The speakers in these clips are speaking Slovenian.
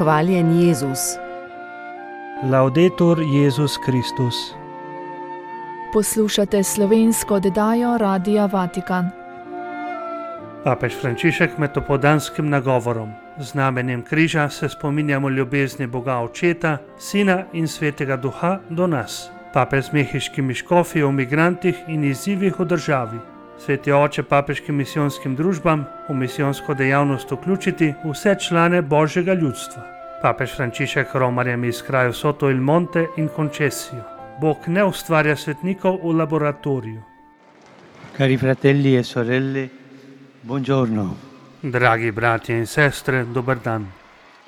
Hvaljen Jezus. Laudetur Jezus Kristus. Poslušate slovensko oddajo Radia Vatikan. Papež Frančišek med opoldanskim nagovorom z znamenjem križa se spominjamo ljubezni Boga Očeta, Sina in Svetega Duha do nas. Papež z mehiškimi škofi o migrantih in izzivih v državi. Sveti oče papeškim misijonskim družbam v misijonsko dejavnost vključiti vse člane Božjega ljudstva. Papež Frančišek romarjem iz krajev Soto il Monte in Concesio. Bog ne ustvarja svetnikov v laboratoriju. Cari fratelli e sorelle, buongiorno. Dragi bratje in sestre, dober dan.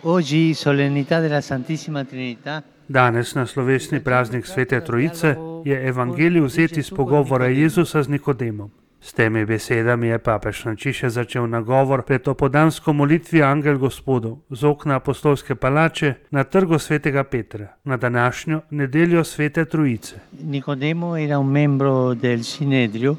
Oggi solennità della Santissima Trinità. Danes na slovesni praznik Svete Trojice je evangelij vzet iz pogovora Jezusa z Nikodemom. S temi besedami je papež Frančišek začel nagovor pred opoldansko molitvijo Angel Gospodov z okna apostolske palače na trgu Svetega Petra, na današnjo nedeljo Svete Trojice. Nicodemo era un membro del Sinedrio,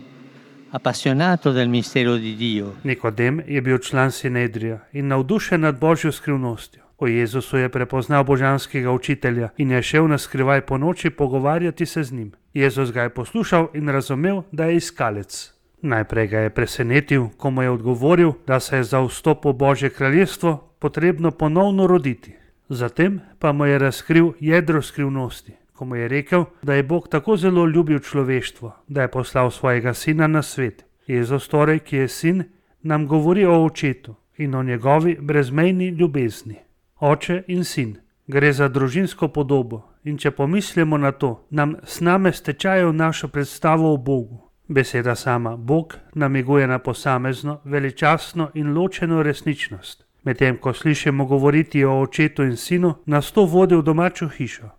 appassionato del mistero di Dio. Nikodem je bil član Sinedrija in navdušen nad Božjo skrivnostjo. O Jezusu je prepoznal božanskega učitelja in je šel na skrivaj po noči pogovarjati se z njim. Jezus ga je poslušal in razumel, da je iskalec. Najprej ga je presenetil, ko mu je odgovoril, da se je za vstop v Božje kraljestvo potrebno ponovno roditi. Zatem pa mu je razkril jedro skrivnosti, ko mu je rekel, da je Bog tako zelo ljubil človeštvo, da je poslal svojega sina na svet. Jezus torej, ki je sin, nam govori o očetu in o njegovi brezmejni ljubezni. Oče in sin. Gre za družinsko podobo in če pomislimo na to, nam sname stečajo našo predstavo o Bogu. Beseda sama, Bog, namiguje na posamezno, veličastno in ločeno resničnost. Medtem ko slišimo govoriti o očetu in sinu, nas to vodi v domačo hišo.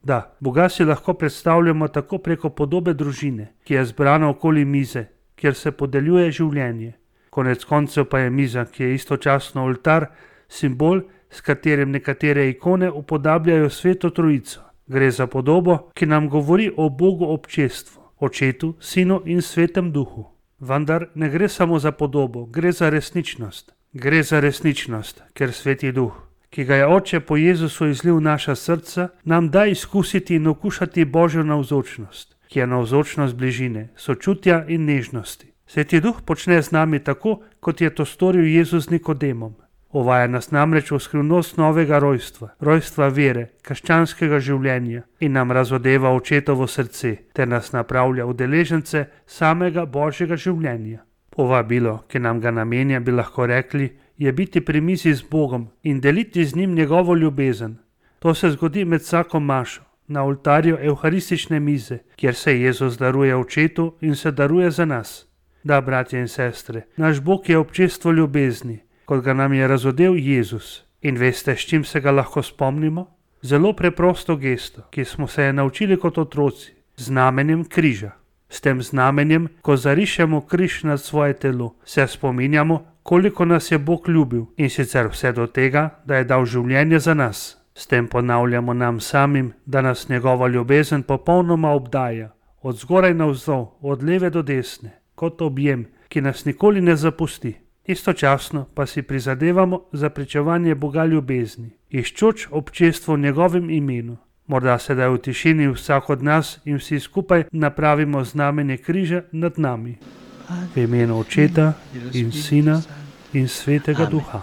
Da, Boga si lahko predstavljamo tako preko podobe družine, ki je zbrana okoli mize, kjer se podeljuje življenje. Konec koncev pa je miza, ki je istočasno oltar, simbol, s katerim nekatere ikone upodabljajo Sveto Trojico. Gre za podobo, ki nam govori o Bogu občestvu, Očetu, Sinu in Svetem Duhu. Vendar ne gre samo za podobo, gre za resničnost. Gre za resničnost, ker Sveti Duh, ki ga je Oče po Jezusu izlil v naša srca, nam da izkusiti in okušati Božjo navzočnost, ki je navzočnost bližine, sočutja in nežnosti. Sveti Duh počne z nami tako, kot je to storil Jezus z Nikodemom. Uvaja nas namreč v skrivnost novega rojstva, rojstva vere, krščanskega življenja in nam razodeva očetovo srce, ter nas napravlja udeležence samega Božjega življenja. Povabilo, ki nam ga namenja, bi lahko rekli, je biti pri mizi z Bogom in deliti z njim njegovo ljubezen. To se zgodi med vsako mašo, na oltarju evharistične mize, kjer se Jezus daruje očetu in se daruje za nas. Da, bratje in sestre, naš Bog je občestvo ljubezni, kot ga nam je razodel Jezus. In veste, s čim se ga lahko spomnimo? Zelo preprosto gesto, ki smo se je naučili kot otroci, znamenjem križa. S tem znamenjem, ko zarišemo križ nad svoje telo, se spominjamo, koliko nas je Bog ljubil in sicer vse do tega, da je dal življenje za nas. S tem ponavljamo nam samim, da nas njegova ljubezen popolnoma obdaja, od zgoraj navzdol, od leve do desne, kot objem, ki nas nikoli ne zapusti. Istočasno pa si prizadevamo za pričevanje Boga ljubezni, iščoč občestvo v njegovem imenu. Morda sedaj v tišini vsak od nas in vsi skupaj napravimo znamenje križa nad nami. V imenu Očeta in Sina in Svetega Duha.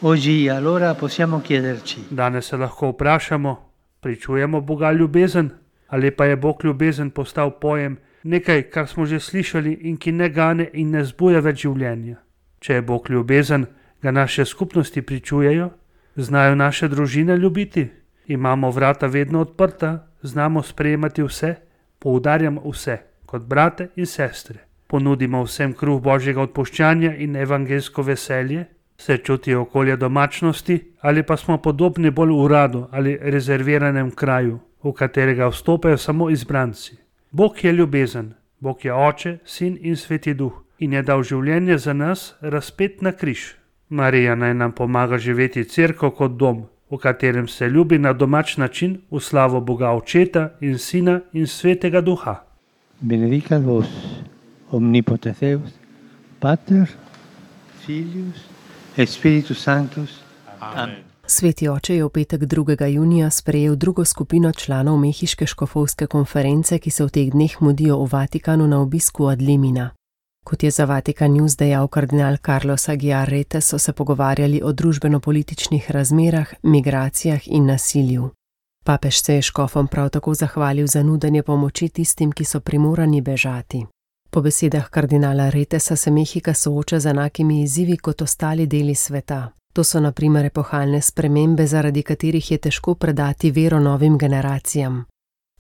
Oggi allora possiamo chiederci. Danes se lahko vprašamo, pričujemo Boga ljubezen ali pa je Bog ljubezen postal pojem, nekaj, kar smo že slišali in ki ne gane in ne zbuja več življenja. Če je Bog ljubezen, ga naše skupnosti pričujejo? Znajo naše družine ljubiti? Imamo vrata vedno odprta? Znamo sprejemati vse? Poudarjam vse, kot brate in sestre. Ponudimo vsem kruh Božjega odpuščanja in evangelsko veselje? Se čutijo okolje domačnosti ali pa smo podobni bolj uradu ali rezerviranem kraju, v katerega vstopajo samo izbranci? Bog je ljubezen, Bog je Oče, Sin in Sveti Duh in je dal življenje za nas razpet na križ. Marija naj nam pomaga živeti cerkev kot dom, v katerem se ljubi na domač način v slavo Boga Očeta in Sina in Svetega Duha. Benedicat vos, omnipotens Deus, Pater, Filius et Spiritus Sanctus. Amen. Sveti oče je v petek 2. junija sprejel drugo skupino članov mehiške škofovske konference, ki se v teh dneh mudijo v Vatikanu na obisku od Limina. Kot je za Vatikan News dejal kardinal Carlos Aguiar Retes, so se pogovarjali o družbeno-političnih razmerah, migracijah in nasilju. Papež se je škofom prav tako zahvalil za nudenje pomoči tistim, ki so primorani bežati. Po besedah kardinala Retesa se Mehika sooča z enakimi izzivi kot ostali deli sveta. To so na primer epohalne spremembe, zaradi katerih je težko predati vero novim generacijam.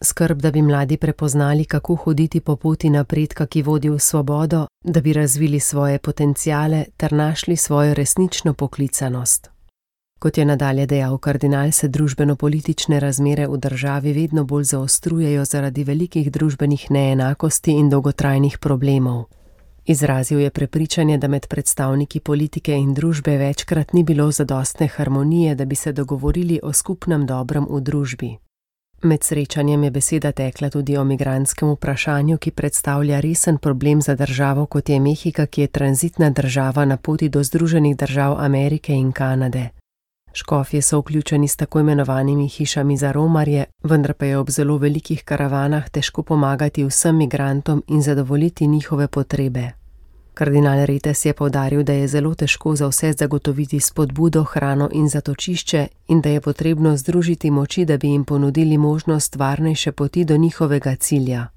Skrb, da bi mladi prepoznali, kako hoditi po poti napredka, ki vodi v svobodo, da bi razvili svoje potenciale ter našli svojo resnično poklicanost. Kot je nadalje dejal kardinal, se družbeno-politične razmere v državi vedno bolj zaostrujejo zaradi velikih družbenih neenakosti in dolgotrajnih problemov. Izrazil je prepričanje, da med predstavniki politike in družbe večkrat ni bilo zadostne harmonije, da bi se dogovorili o skupnem dobrem v družbi. Med srečanjem je beseda tekla tudi o migrantskem vprašanju, ki predstavlja resen problem za državo, kot je Mehika, ki je tranzitna država na poti do Združenih držav Amerike in Kanade. Škofje so vključeni s tako imenovanimi hišami za romarje, vendar pa je ob zelo velikih karavanah težko pomagati vsem migrantom in zadovoljiti njihove potrebe. Kardinal Retes je poudaril, da je zelo težko za vse zagotoviti spodbudo, hrano in zatočišče in da je potrebno združiti moči, da bi jim ponudili možnost varnejše poti do njihovega cilja.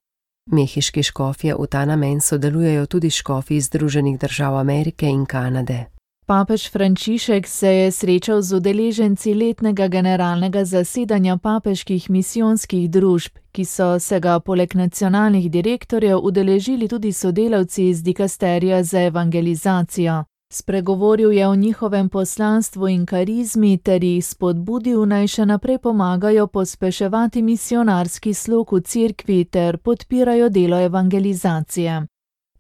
Mehiški škofje v ta namen sodelujejo tudi škofi iz Združenih držav Amerike in Kanade. Papež Frančišek se je srečal z udeleženci letnega generalnega zasedanja papeških misijonskih družb, ki so se ga poleg nacionalnih direktorjev udeležili tudi sodelavci iz dikasterija za evangelizacijo. Spregovoril je o njihovem poslanstvu in karizmi ter jih spodbudil, naj še naprej pomagajo pospeševati misionarski slog v cerkvi ter podpirajo delo evangelizacije.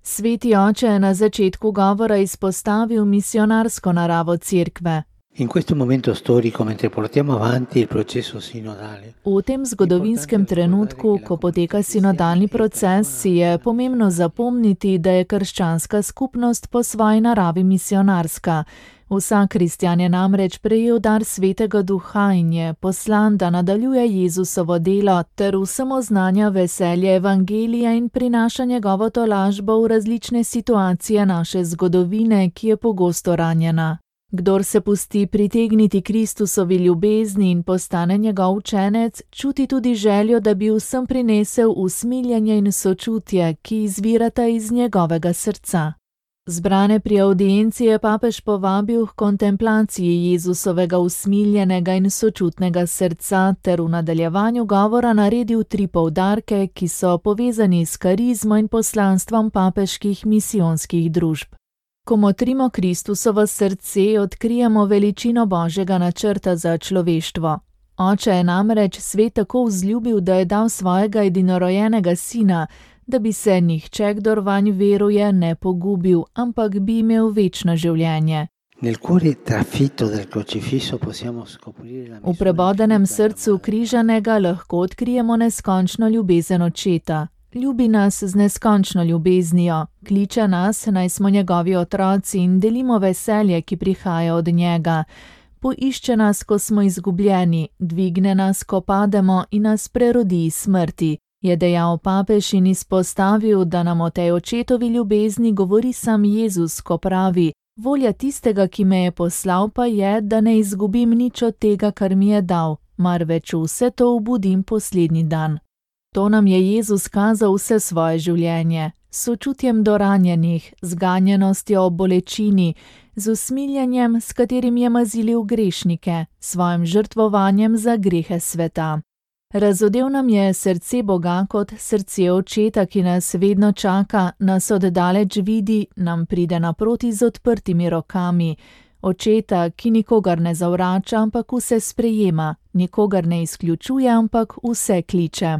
Sveti oče je na začetku govora izpostavil misionarsko naravo cerkve. V tem zgodovinskem trenutku, ko poteka sinodalni proces, si je pomembno zapomniti, da je krščanska skupnost po svoji naravi misionarska. Vsak kristjan je namreč prejel dar Svetega Duha in je poslan, da nadaljuje Jezusovo delo ter vsem oznanja veselje evangelija in prinaša njegovo tolažbo v različne situacije naše zgodovine, ki je pogosto ranjena. Kdor se pusti pritegniti Kristusovi ljubezni in postane njegov učenec, čuti tudi željo, da bi vsem prinesel usmiljenje in sočutje, ki izvirata iz njegovega srca. Zbrane pri avdienci je papež povabil k kontemplaciji Jezusovega usmiljenega in sočutnega srca ter v nadaljevanju govora naredil 3 poudarke, ki so povezani s karizmo in poslanstvom papeških misijonskih družb. Ko motrimo Kristusovo srce, odkrijemo veličino Božjega načrta za človeštvo. Oče je namreč svet tako vzljubil, da je dal svojega edinorojenega sina, da bi se nihče, kdor vanj veruje, ne pogubil, ampak bi imel večno življenje. V prebodenem srcu križanega lahko odkrijemo neskončno ljubezen očeta. Ljubi nas z neskončno ljubeznijo, kliče nas, naj smo njegovi otroci in delimo veselje, ki prihaja od njega. Poišče nas, ko smo izgubljeni, dvigne nas, ko pademo in nas prerodi iz smrti, je dejal papež in izpostavil, da nam o tej očetovi ljubezni govori sam Jezus, ko pravi: volja tistega, ki me je poslal, pa je, da ne izgubim nič od tega, kar mi je dal, marveč vse to obudim poslednji dan. To nam je Jezus kazal vse svoje življenje, s sočutjem do ranjenih, z ganjenostjo ob bolečini, z usmiljenjem, s katerim je mazilil grešnike, svojim žrtvovanjem za grehe sveta. Razodel nam je srce Boga kot srce očeta, ki nas vedno čaka, nas oddaleč vidi, nam pride naproti z odprtimi rokami. Očeta, ki nikogar ne zavrača, ampak vse sprejema, nikogar ne izključuje, ampak vse kliče.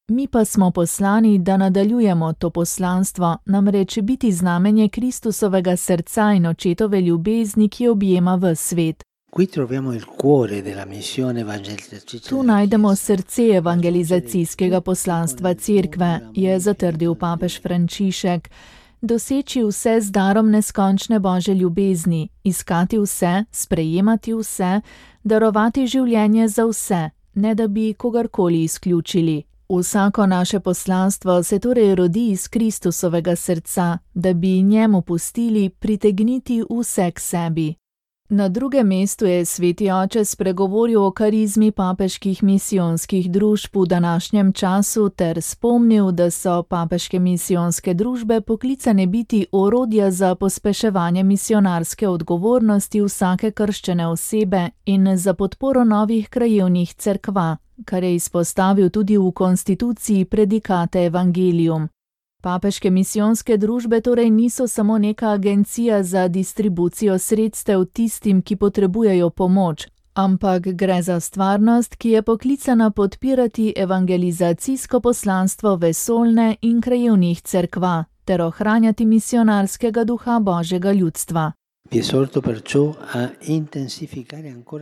Mi pa smo poslani, da nadaljujemo to poslanstvo, namreč biti znamenje Kristusovega srca in očetove ljubezni, ki objema ves svet. Tu najdemo srce evangelizacijskega poslanstva cerkve, je zatrdil papež Frančišek. doseči vse z darom neskončne Božje ljubezni, iskati vse, sprejemati vse, darovati življenje za vse, ne da bi kogarkoli izključili. Vsako naše poslanstvo se torej rodi iz Kristusovega srca, da bi njemu pustili pritegniti vse k sebi. Na drugem mestu je sveti oče spregovoril o karizmi papeških misijonskih družb v današnjem času ter spomnil, da so papeške misijonske družbe poklicane biti orodja za pospeševanje misionarske odgovornosti vsake krščene osebe in za podporo novih krajevnih cerkva, kar je izpostavil tudi v konstituciji Predikate Evangelium. Papeške misijonske družbe torej niso samo neka agencija za distribucijo sredstev tistim, ki potrebujejo pomoč, ampak gre za stvarnost, ki je poklicana podpirati evangelizacijsko poslanstvo vesoljne in krajevnih cerkva ter ohranjati misionarskega duha Božjega ljudstva.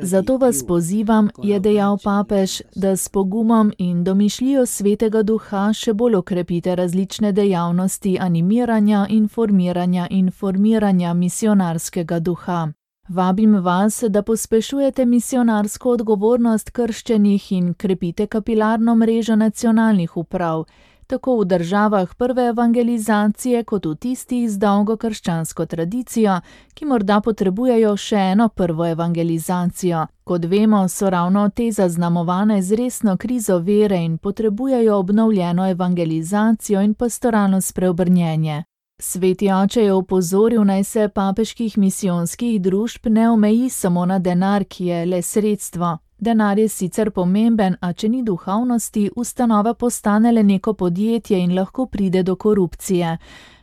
Zato vas pozivam, je dejal papež, da s pogumom in domišljijo svetega duha še bolj okrepite različne dejavnosti animiranja, informiranja misionarskega duha. Vabim vas, da pospešujete misionarsko odgovornost krščenih in krepite kapilarno mrežo nacionalnih uprav, tako v državah prve evangelizacije kot v tistih z dolgo krščansko tradicijo, ki morda potrebujejo še eno prvo evangelizacijo. Kot vemo, so ravno te zaznamovane z resno krizo vere in potrebujejo obnovljeno evangelizacijo in pastoralno spreobrnjenje. Sveti oče je opozoril, naj se papeških misijonskih družb ne omeji samo na denar, ki je le sredstvo. Denar je sicer pomemben, a če ni duhovnosti, ustanova postane le neko podjetje in lahko pride do korupcije.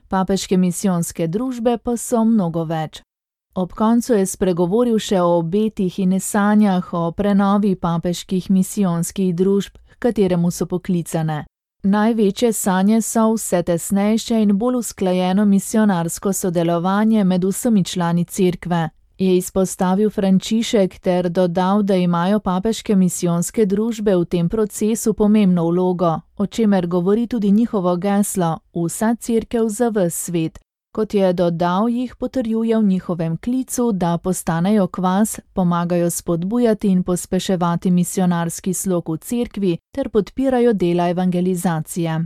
Papeške misijonske družbe pa so mnogo več. Ob koncu je spregovoril še o obetih in sanjah o prenovi papeških misijonskih družb, h kateremu so poklicane. Največje sanje so vse tesnejše in bolj usklajeno misionarsko sodelovanje med vsemi člani cerkve, je izpostavil Frančišek ter dodal, da imajo papeške misijonske družbe v tem procesu pomembno vlogo, o čemer govori tudi njihovo geslo Vsa cerkev za ves svet. Kot je dodal, jih potrjuje v njihovem klicu, da postanejo kvas, pomagajo spodbujati in pospeševati misionarski slog v cerkvi ter podpirajo dela evangelizacije.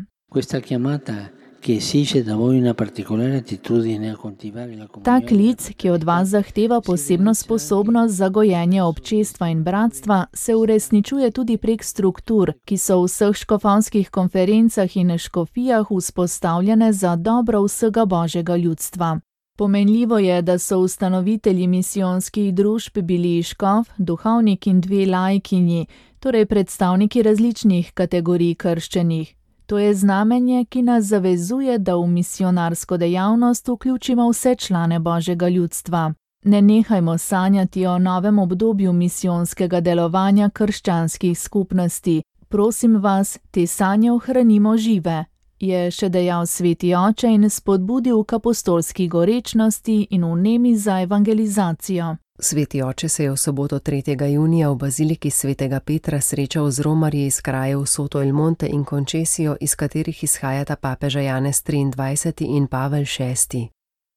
Ta klic, ki od vas zahteva posebno sposobnost za gojenje občestva in bratstva, se uresničuje tudi prek struktur, ki so v vseh škofovskih konferencah in škofijah vzpostavljene za dobro vsega Božjega ljudstva. Pomenljivo je, da so ustanovitelji misijonskih družb bili škof, duhovnik in 2 laikinji, torej predstavniki različnih kategorij krščenih. To je znamenje, ki nas zavezuje, da v misionarsko dejavnost vključimo vse člane Božjega ljudstva. Ne nehajmo sanjati o novem obdobju misijonskega delovanja krščanskih skupnosti. Prosim vas, te sanje ohranimo žive, je še dejal sveti oče in spodbudil k apostolski gorečnosti in vnemi za evangelizacijo. Sveti oče se je v soboto 3. junija v baziliki svetega Petra srečal z romarji iz krajev Soto il Monte in Concesio, iz katerih izhajata papeža Janez 23. in Pavel VI.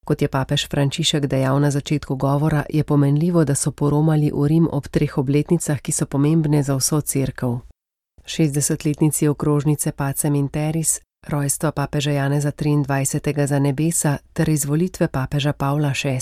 Kot je papež Frančišek dejal na začetku govora, je pomenljivo, da so poromali v Rim ob 3 obletnicah, ki so pomembne za vso cerkev. 60-letnici okrožnice Pacem in Terris, rojstva papeža Janeza 23. za nebesa ter izvolitve papeža Pavla VI.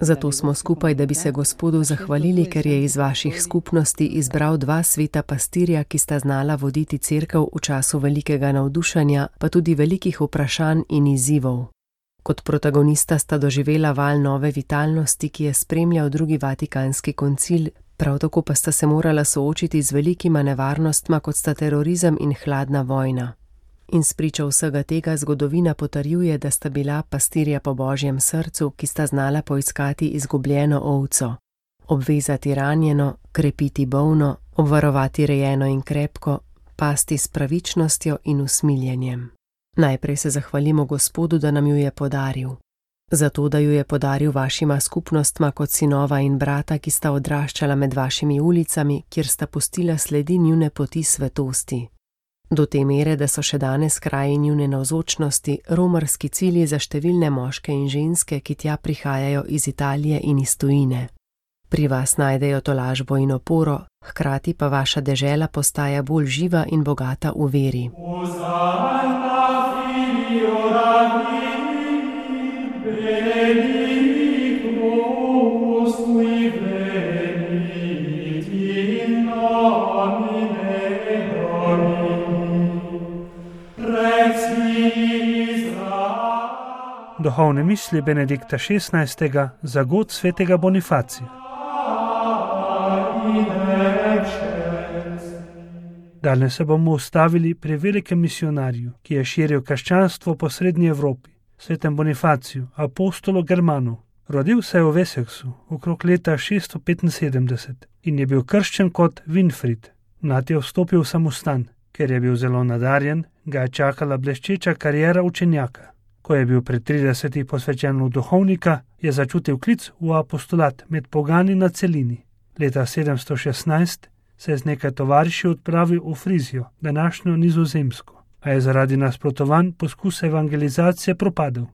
Zato smo skupaj, da bi se Gospodu zahvalili, ker je iz vaših skupnosti izbral 2 sveta pastirja, ki sta znala voditi cerkev v času velikega navdušenja, pa tudi velikih vprašanj in izzivov. Kot protagonista sta doživela val nove vitalnosti, ki je spremljal 2. Vatikanski koncil, prav tako pa sta se morala soočiti z velikima nevarnostma, kot sta terorizem in hladna vojna. In spričo vsega tega zgodovina potrjuje, da sta bila pastirja po Božjem srcu, ki sta znala poiskati izgubljeno ovco, obvezati ranjeno, krepiti bolno, obvarovati rejeno in krepko, pasti s pravičnostjo in usmiljenjem. Najprej se zahvalimo Gospodu, da nam ju je podaril. Zato, da ju je podaril vašima skupnostma kot sinova in brata, ki sta odraščala med vašimi ulicami, kjer sta pustila sledi njune poti svetosti. Do te mere, da so še danes kraji njune navzočnosti romarski cilji za številne moške in ženske, ki tja prihajajo iz Italije in iz tujine. Pri vas najdejo tolažbo in oporo, hkrati pa vaša dežela postaja bolj živa in bogata v veri. Duhovne misli Benedikta XVI. Za god svetega Bonifacija. Danes se bomo ustavili pri velikem misionarju, ki je širil krščanstvo po srednji Evropi, svetem Bonifaciju, apostolu Germanu. Rodil se je v Wessexu okrog leta 675 in je bil krščen kot Winfried. Mlad je vstopil v samostan. Ker je bil zelo nadarjen, ga je čakala bleščeča kariera učenjaka. Ko je bil pri 30 posvečen v duhovnika, je začutil klic v apostolat med pogani na celini. Leta 716 se je z nekaj tovariši odpravil v Frizijo, današnjo Nizozemsko, a je zaradi nasprotovanj poskus evangelizacije propadel.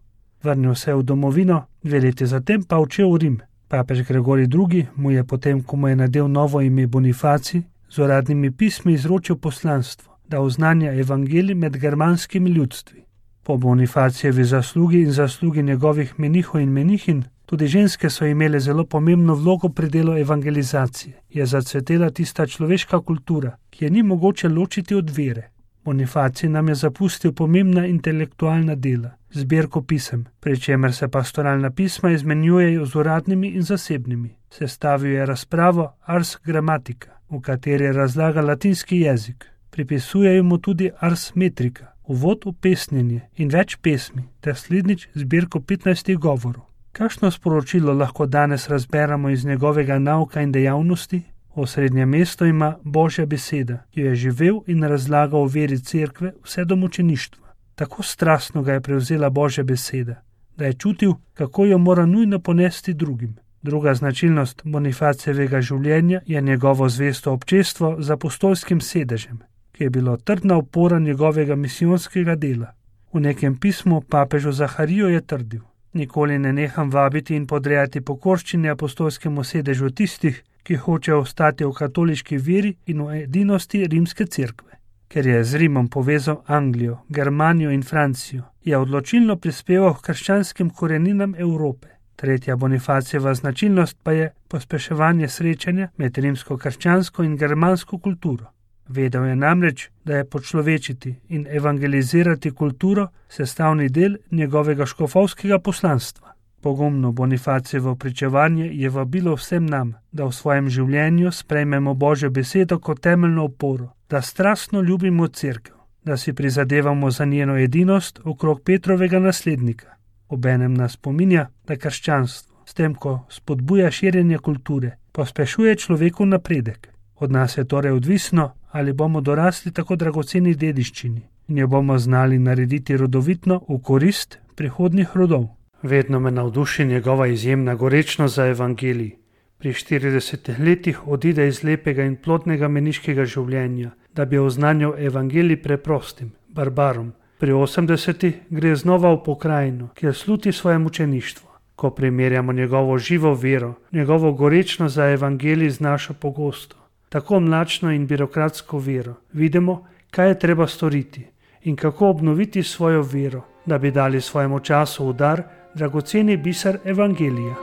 Vrnil se je v domovino, 2 leti zatem pa odšel v Rim. Papež Gregorij II. Mu je potem, ko mu je nadel novo ime Bonifacij, z uradnimi pismi izročil poslanstvo, da oznanja evangelij med germanskimi ljudstvi. Po Bonifacijevi zaslugi in zaslugi njegovih menihov in menihinj, tudi ženske so imele zelo pomembno vlogo pri delu evangelizacije. Je zacvetela tista človeška kultura, ki je ni mogoče ločiti od vere. Bonifacij nam je zapustil pomembna intelektualna dela, zbirko pisem, pri čemer se pastoralna pisma izmenjujejo z uradnimi in zasebnimi. Sestavil je razpravo Ars Grammatica, v kateri razlaga latinski jezik. Pripisujejo mu tudi Ars Metrica, uvod v pesnjenje in več pesmi, ter slednjič zbirko 15 govorov. Kakšno sporočilo lahko danes razberemo iz njegovega nauka in dejavnosti? Osrednje mesto ima Božja beseda, ki jo je živel in razlagal o veri cerkve vse do mučeništva. Tako strastno ga je prevzela Božja beseda, da je čutil, kako jo mora nujno ponesti drugim. Druga značilnost Bonifacijevega življenja je njegovo zvesto občestvo z apostolskim sedežem, ki je bilo trdna opora njegovega misijonskega dela. V nekem pismu papežu Zahariju je trdil: nikoli ne neham vabiti in podrejati pokorščine apostolskemu sedežu tistih, ki hočejo ostati v katoliški veri in v edinosti rimske cerkve. Ker je z Rimom povezal Anglijo, Germanijo in Francijo, je odločilno prispeval k krščanskim koreninam Evrope. Tretja Bonifacijeva značilnost pa je pospeševanje srečanja med rimsko krščansko in germansko kulturo. Vedel je namreč, da je počlovečiti in evangelizirati kulturo sestavni del njegovega škofovskega poslanstva. Pogumno Bonifacijevo pričevanje je vabilo vsem nam, da v svojem življenju sprejmemo Božjo besedo kot temeljno oporo, da strastno ljubimo cerkev, da si prizadevamo za njeno edinost okrog Petrovega naslednika. Obenem nas spominja, da krščanstvo, s tem, ko spodbuja širjenje kulture, pospešuje človekov napredek. Od nas je torej odvisno, ali bomo dorasli tako dragoceni dediščini in jo bomo znali narediti rodovitno v korist prihodnjih rodov. Vedno me navduši njegova izjemna gorečnost za evangelij. Pri 40 letih odide iz lepega in plodnega meniškega življenja, da bi oznanjal evangelij preprostim, barbarom. Pri 80 gre znova v pokrajino, kjer sluti svoje mučeništvo. Ko primerjamo njegovo živo vero, njegovo gorečnost za evangelij z našo pogosto, tako mlačno in birokratsko vero, vidimo, kaj je treba storiti in kako obnoviti svojo vero, da bi dali svojemu času v dar dragoceni biser evangelija.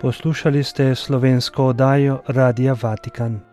Poslušali ste slovensko oddajo Radia Vatikan.